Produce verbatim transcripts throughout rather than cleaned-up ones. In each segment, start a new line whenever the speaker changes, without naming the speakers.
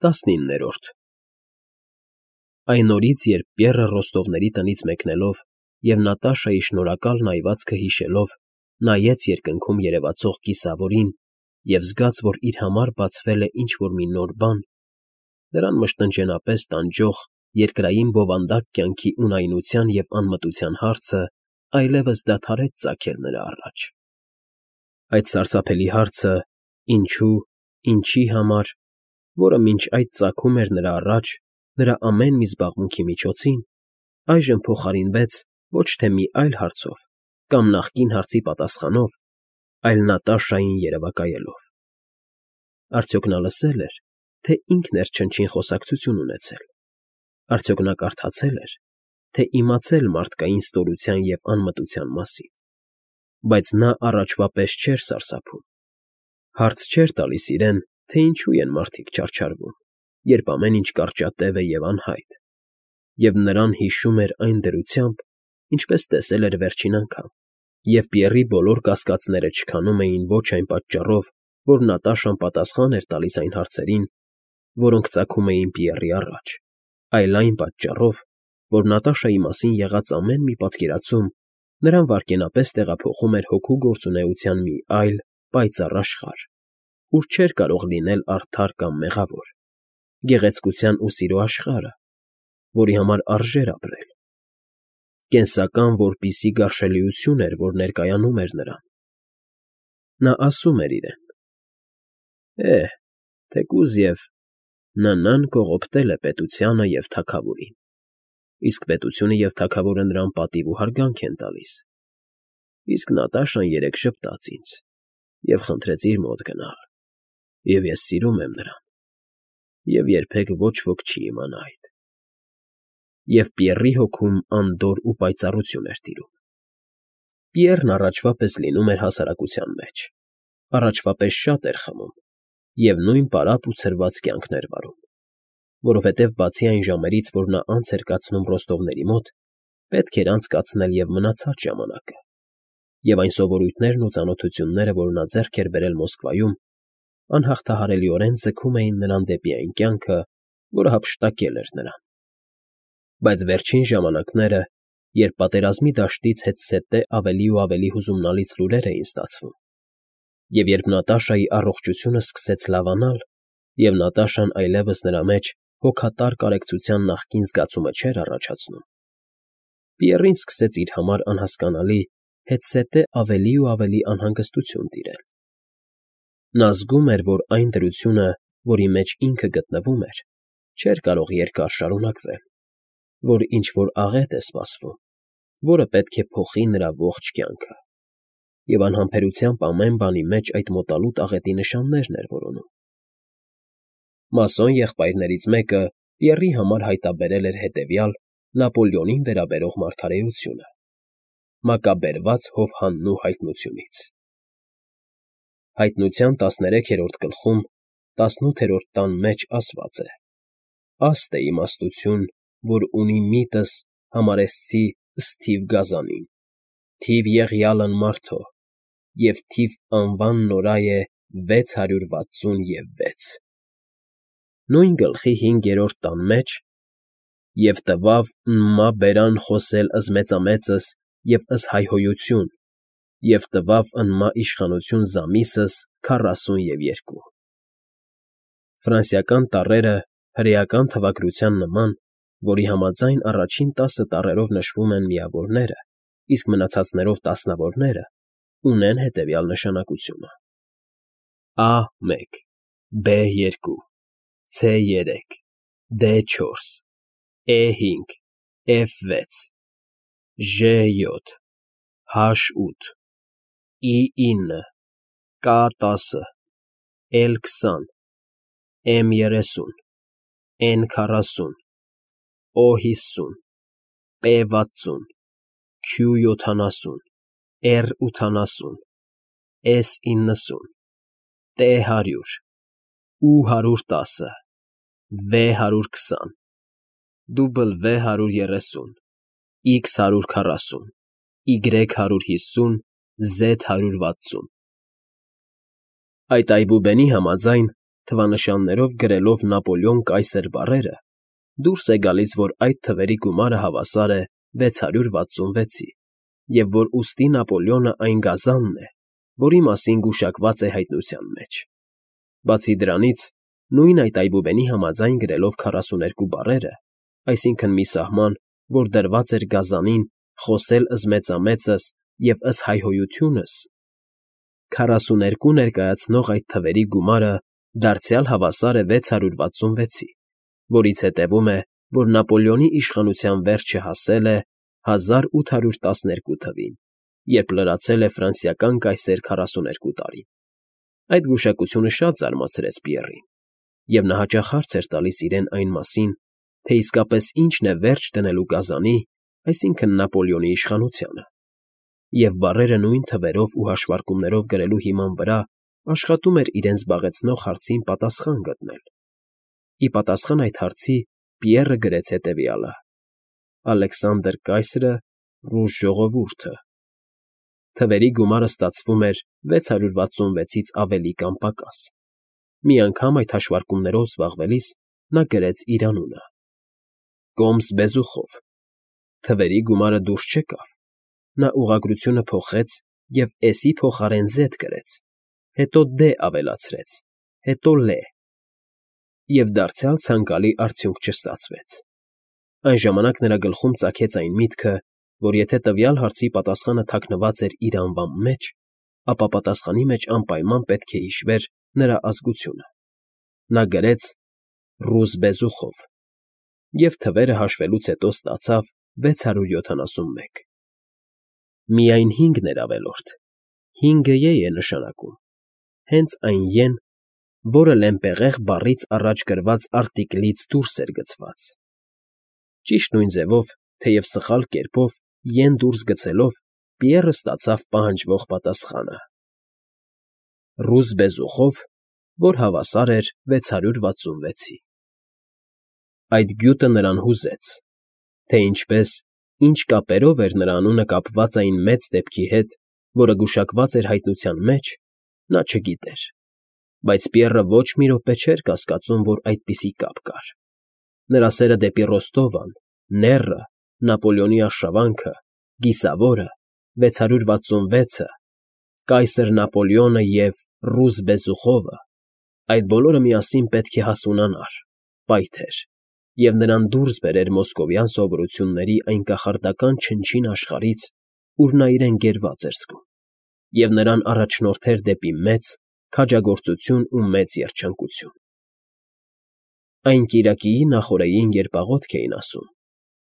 ՏԱՍՆԻՆՆԵՐՈՐԴ Այն օրից, երբ Պիեռը Ռոստովների տնից մեկնելով և Նատաշայի շնորհակալ նայվածքը հիշելով նայեց երկնքում երևացող կիսավորին և զգաց, որ իր համար բացվել է ինչ֊որ մի նոր բան, նրան մշտնջենապես տանջող երկրային բովանդակ կյանքի ունայնության և անմտության հարցը այլևս դադարեց ծագել նրա առաջ. այդ սարսափելի հարցը՝ ինչո՞ւ, ինչի համար, որը մինչ այդ ծագում էր նրա առաջ նրա ամեն մի զբաղմունքի միջոցին, այժմ փոխարինվեց ոչ թե մի այլ հարցով կամ նախկին հարցի պատասխանով, այլ Նատաշային երևակայելով. արդյոք նա լսե՞լ էր, թե ինքն էր չնչին խոսակցություն ունեցել, արդյոք նա կարդացե՞լ էր, թե իմացել մարդկային ստորության և անմտության մասին, բայց նա առաջվա պես չէր սարսափում, հարց չէր տալիս իրեն, թե ինչու են մարդիկ չարչարվում, երբ ամեն ինչ կարճատև է և անհայտ, և նրան հիշում էր այն դրությամբ, ինչպես տեսել էր վերջին անգամ, և Պիեռի բոլոր կասկածները չքանում էին ոչ այն պատճառով, որ Նատաշան պատասխան էր տալիս այն հարցերին, որոնք ծագում էին Պիեռի առաջ, այլ այն պատճառով, որ Նատաշայի մասին եղած ամեն մի պատկերացում նրան վայրկենապես տեղափոխում էր հոգու գործունեության մի այլ, պայծառ աշխարհ, ուր չէր կարող լինել արդար կամ մեղավոր, գեղեցկության ու սիրո աշխարհը, որի համար արժեր ապրել, կենսական որպիսի գարշելիություն էր, որ ներկայանում էր նրան. նա ասում էր իրեն. «Է՜, թեկուզ և Ն֊ն կողոպտել է պետությանը և թագավորին, իսկ պետությունը և թագավորը նրան պատիվ ու հարգանք են տալիս, իսկ Նատաշան երեկ ժպտաց ինձ և խնդրեց իր մոտ գնալ, և ես սիրում եմ նրան, և երբեք ոչ ոք չի իմանա այդ»։ Եվ Պիեռի հոգում անդորր ու պայծառություն էր տիրում. Պիեռն առաջվա պես լինում էր հասարակության մեջ, առաջվա պես շատ էր խմում և նույն պարապ ու ցրված կյանքն էր վարում, որովհետև բացի այն ժամերից, որ նա անց էր կացնում Ռոստովների մոտ, պետք էր անցկացնել և մնացած ժամանակը, և այն սովորույթներն ու ծանոթությունները, որ նա ձեռք էր բերել Մոսկվայում, անհաղթահարելիորեն ձգում էին նրան դեպի այն կյանքը, որը հափշտակել էր նրան։ Բայց վերջին ժամանակները, երբ պատերազմի դաշտից հետզհետե ավելի ու ավելի հուզումնալից լուրեր էին ստացվում, և երբ Նատաշայի առողջությունը սկսեց լավանալ, և Նատաշան այլևս նրա մեջ հոգատար կարեկցության նախկին զգացումը չէր առաջացնում, Պիեռին սկսեց իր համար անհասկանալի, հետզհետե ավելի ու ավելի անհանգստություն տիրել։ Նա զգում էր, որ այն դրությունը, որի մեջ ինքը գտնվում էր, չէր կարող երկար շարունակվել, որ ինչ֊որ աղետ է սպասվում, որը պետք է փոխի նրա ողջ կյանքը, և անհամբերությամբ ամեն բանի մեջ այդ մոտալուտ աղետի նշաններն էր որոնում։ Մասոն եղբայրներից մեկը Պիեռի համար հայտարարել էր հետևյալ Նապոլեոնին վերաբերող մարգարեությունը՝ մակաբերված հովհաննու հայտնությունից. հայտնության տասներեքերորդ գլխում տասնութերորդ տան մեջ ասված է. «Աստ է իմաստություն, որ ունի միտս համարեսցի սթիվ գազանին, թիվ եղյալն մարդո, և թիվ անվան նորայ է վեց հարյուր վաթսուն և վեց»։ Նույն գլխի հինգերորդ տան մեջ. «Եվ տվավ Նմա բերան խոսել ըս մեծամեծս և ըս հայհոյություն, և տվավ Նմա իշխանություն զամիսս քառասուն և երկու»։ Ֆրանսիական տառերը հրեական թվագրության նման, որի համաձայն առաջին տասը տառերով նշվում են միավորները, իսկ մնացածներով տասնավորները, ունեն հետևյալ նշանակությունը. Ա մեկ Բ երկու Ց երեք Դ չորս Է հինգ Ֆ վեց Ժ յոթ Հ ութ Ի ինը Կ տասը Էլ քսան Էմ երեսուն Էն քառասուն Օ հիսուն Պ վաթսուն Ք յոթանասուն Ռ ութանասուն Էս իննսուն Տ հարյուր Ու հարյուր տասը Վը հարյուր քսան W հարյուր երեսուն Իքս հարյուր քառասուն Y հարյուր հիսուն Զ հարյուր վաթսուն։ Այդ այբուբենի համաձայն թվանշաններով գրելով Նապոլեոն կայսեր բառերը, դուրս է գալիս, որ այդ թվերի գումարը հավասար է վեց հարյուր վաթսունվեցի, և որ ուստի Նապոլեոնը այն գազանն է, որի մասին գուշակված է հայտնության մեջ։ Բացի դրանից, նույն այդ այբուբենի համաձայն գրելով քառասուներկու բառերը, այսինքն մի սահման, որ դրված էր գազանին խոսել ըզմեծամեծս և ըս հայհոյությունս, քառասուներկու ներկայացնող այդ թվերի գումարը դարձյալ հավասար է վեց հարյուր վաթսունվեցի, որից հետևում է, որ Նապոլեոնի իշխանության վերջը հասել է հազար ութ հարյուր տասներկու թվին, երբ լրացել է ֆրանսիական կայսեր քառասուներկու տարին։ Այդ գուշակությունը շատ զարմացրեց Պիեռին, և նա հաճախ հարց էր տալիս իրեն այն մասին, թե իսկապես ինչն է վերջ դնելու գազանի, այսինքն Նապոլեոնի իշխանությանը, և բառերը նույն թվերով ու հաշվարկումներով գրելու հիման վրա աշխատում էր իրեն զբաղեցնող հարցին պատասխան գտնել։ Ի պատասխան այդ հարցի Պիեռը գրեց հետևյալը. «Ալեքսանդր կայսրը, ռուս ժողովուրդը»։ Թվերի գումարը ստացվում էր վեց հարյուր վաթսունվեցից ավելի կամ պակաս։ Մի անգամ այդ հաշվարկումներով զբաղվելիս նա գրեց իր անունը՝ Կոմս Բեզուխով։ Թվերի գումարը դուրս չեկավ։ Նա ուղղագրությունը փոխեց և S-ի փոխարեն Z գրեց, հետո D ավելացրեց, հետո L, և դարձյալ ցանկալի արդյունք չստացվեց։ Այն ժամանակ նրա գլխում ծագեց այն միտքը, որ եթե տվյալ հարցի պատասխանը թաքնված էր իր անվան մեջ, ապա պատասխանի մեջ անպայման պետք է հիշվեր նրա ազգությունը։ Նա գրեց «Ռուս Բեզուխով» և թվերը հաշվելուց հետո ստացավ վեց հարյուր յոթանասունմեկ։ Միայն հինգն էր ավելորդ, հինգը ե է նշանակում, հենց այն ե֊ն, որը Լեմպեղեղ բառից առաջ գրված արտիկլից դուրս էր գցված։ Ճիշտ նույն ձևով, թեև սխալ կերպով, ե֊ն դուրս գցելով, Պիեռը ստացավ պահանջվող պատասխանը. «Ռուս Բեզուխով», որ հավասար էր վեց հարյուր վաթսունվեցի։ Այդ գյուտը նրան հուզեց, թե ինչպես, ինչ կապերով էր նրա անունը կապված այն մեծ դեպքի հետ, որը գուշակված էր հայտնության մեջ, նա չգիտեր, բայց Պիեռը ոչ մի րոպե չէր կասկածում, որ այդպիսի կապ կար։ Նրա սերը դեպի Ռոստովան, նեռը, Նապոլեոնի արշավանքը, Կիսավորը, վեց հարյուր վաթսունվեցը, կայսր Նապոլեոնը և ռուս Բեզուխովը, այդ բոլորը միասին պետք է հասունանար, պայթեր և նրան դուրս բերեր մոսկովյան սովորությունների այն կախարդական չնչին աշխարհից, ուր նա իրեն գերված էր զգում, և նրան առաջնորդեր դեպի մեծ քաջագործություն ու մեծ երջանկություն։ Այն կիրակիի նախօրեին, երբ աղոթք էին ասում,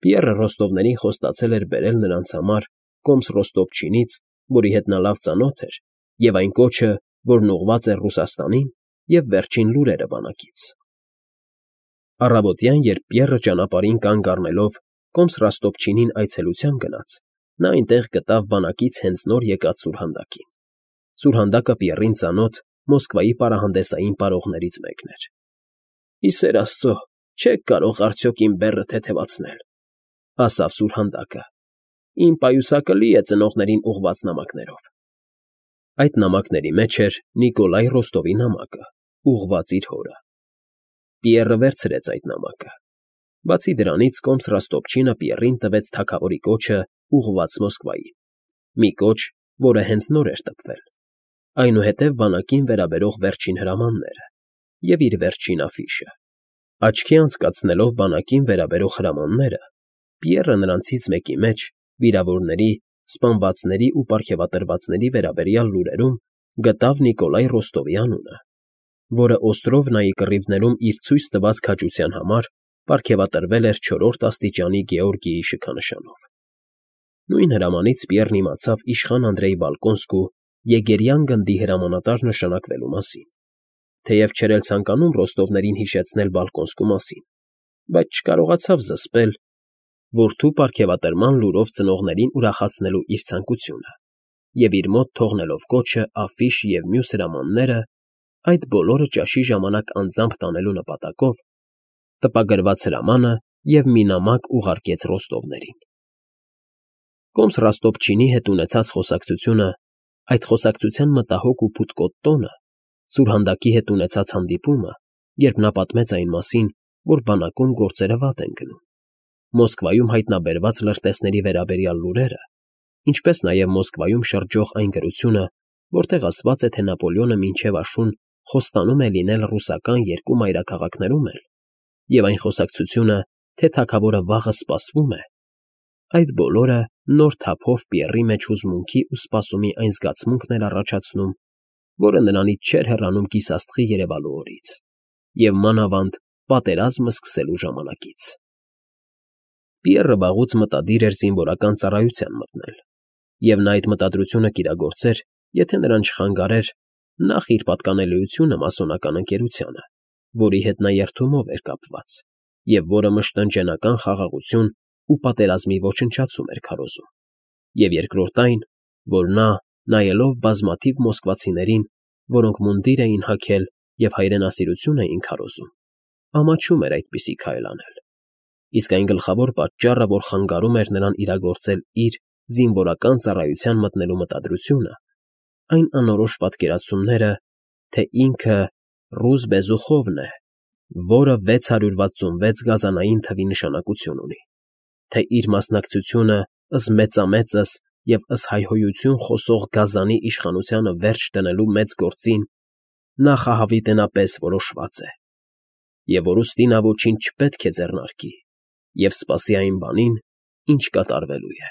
Պիեռը Ռոստովներին խոստացել էր բերել նրանց համար Կոմս Ռոստովչինից, որի հետ նա լավ ծանոթ էր, և այն կոչը, որն ուղղված էր Ռուսաստանին, և վերջին լուրերը բանակից։ Առավոտյան, երբ Պիեռը ճանապարհին կանգ առնելով Կոմս Ռոստովչինին այցելության գնաց, նա այնտեղ գտավ բանակից հենց նոր եկած սուրհանդակին։ Սուրհանդակը Պիեռին ծանոթ Մոսկվայի պարահանդեսային պարողներից մեկն էր։ ֊ Ի սեր Աստծո, չե՞ք կարող արդյոք իմ բեռը թեթևացնել, ֊ ասավ սուրհանդակը։ Իմ պայուսակը լի է ծնողներին ուղղված նամակներով։ Այդ նամակների մեջ էր Նիկոլայ Ռոստովի նամակը, ուղղված իր հորը։ Պիեռը վերցրեց այդ նամակը։ Բացի դրանից, Կոմս Ռոստովչինը Պիեռին տվեց թագավորի կոչը ուղղված Մոսկվայի, մի կոչ, որը հենց նոր էր տպվել, այնուհետև բանակին վերաբերող վերջին հրամանները և իր վերջին աֆիշը։ Աչքի անցկացնելով բանակին վերաբերող հրամանները, Պիեռը նրանցից մեկի մեջ, վիրավորների, սպանվածների ու պարգևատրվածների վերաբերյալ լուրերում գտավ Նիկոլայ Ռոստովի անունը, որը Օստրովնայի կռիվներում իր ցույց տված քաջության համար պարգևատրվել էր չորրորդ աստիճանի Գեորգիի շքանշանով։ Նույն հրամանից Պիեռն իմացավ իշխան Անդրեյ Բալկոնսկու Եգերյան գնդի հրամանատար նշանակվելու մասին, թեև չէր էլ ցանկանում Ռոստովներին հիշեցնել Բալկոնսկու մասին, բայց չկարողացավ զսպել որդու պարգևատրման լուրով ծնողներին ուրախացնելու իր ցանկությունը, և իր մոտ թողնելով կոչը, աֆիշ և մյուս հրամանները, այդ բոլորը ճաշի ժամանակ անձամբ տանելու նպատակով, տպագրված հրամանը և մի նամակ ուղարկեց Ռոստովներին։ Կոմս Ռոստովչինի հետ ունեցած խոսակցությունը, այդ խոսակցության մտահոգ ու փութկոտ տոնը Սուրհանդակի հետ ունեցած հանդիպումը, երբ նա պատմեց այն մասին, որ բանակում գործերը վատ են գնում, Մոսկվայում հայտնաբերված լրտեսների վերաբերյալ լուրերը, ինչպես նաև Մոսկվայում շրջող այն գրությունը, որտեղ ասված է, թե Նապոլեոնը մինչև աշուն խոստանում է լինել ռուսական երկու մայրաքաղաքներում էլ, և այն խոսակցությունը, թե թագավորը վաղը սպասվում է, այդ բոլորը նոր թափով Պիեռի մեջ հուզմունքի ու սպասումի այն զգացմունքն էր առաջացնում, որը նրանից չէր հեռանում կիսաստղի երևալու օրից և, մանավանդ, պատերազմը սկսելու ժամանակից։ Պիեռը վաղուց մտադիր էր զինվորական ծառայության մտնել, և նա այդ մտադրությունը կիրագործեր, եթե նրան չխանգարեր նախ իր պատկանելիությունը մասոնական ընկերությանը, որի հետ նա երդումով էր կապված և որը մշտնջենական խաղաղություն ու պատերազմի ոչնչացում էր քարոզում, և երկրորդ այն, որ նա, նայելով բազմաթիվ մոսկվացիներին, որոնք մունդիր էին հագել և հայրենասիրություն էին քարոզում, ամաչում էր այդպիսի քայլ անել, իսկ այն գլխավոր պատճառը, որ խանգարում էր նրան իրագործել իր զինվորական ծառայության մտնելու մտադրությունը, այն անորոշ պատկերացումները, թե ինքը ռուս Բեզուխովն է, որը վեց հարյուր վաթսունվեց գազանային թվի նշանակություն ունի, թե իր մասնակցությունը ըսմեծամեծս և ըսհայհոյություն խոսող գազանի իշխանությանը վերջ դնելու մեծ գործին նախահավիտենապես որոշված է, և որ ուստի նա ոչինչ չպետք է ձեռնարկի և սպասի այն բանին, ինչ կատարվելու է։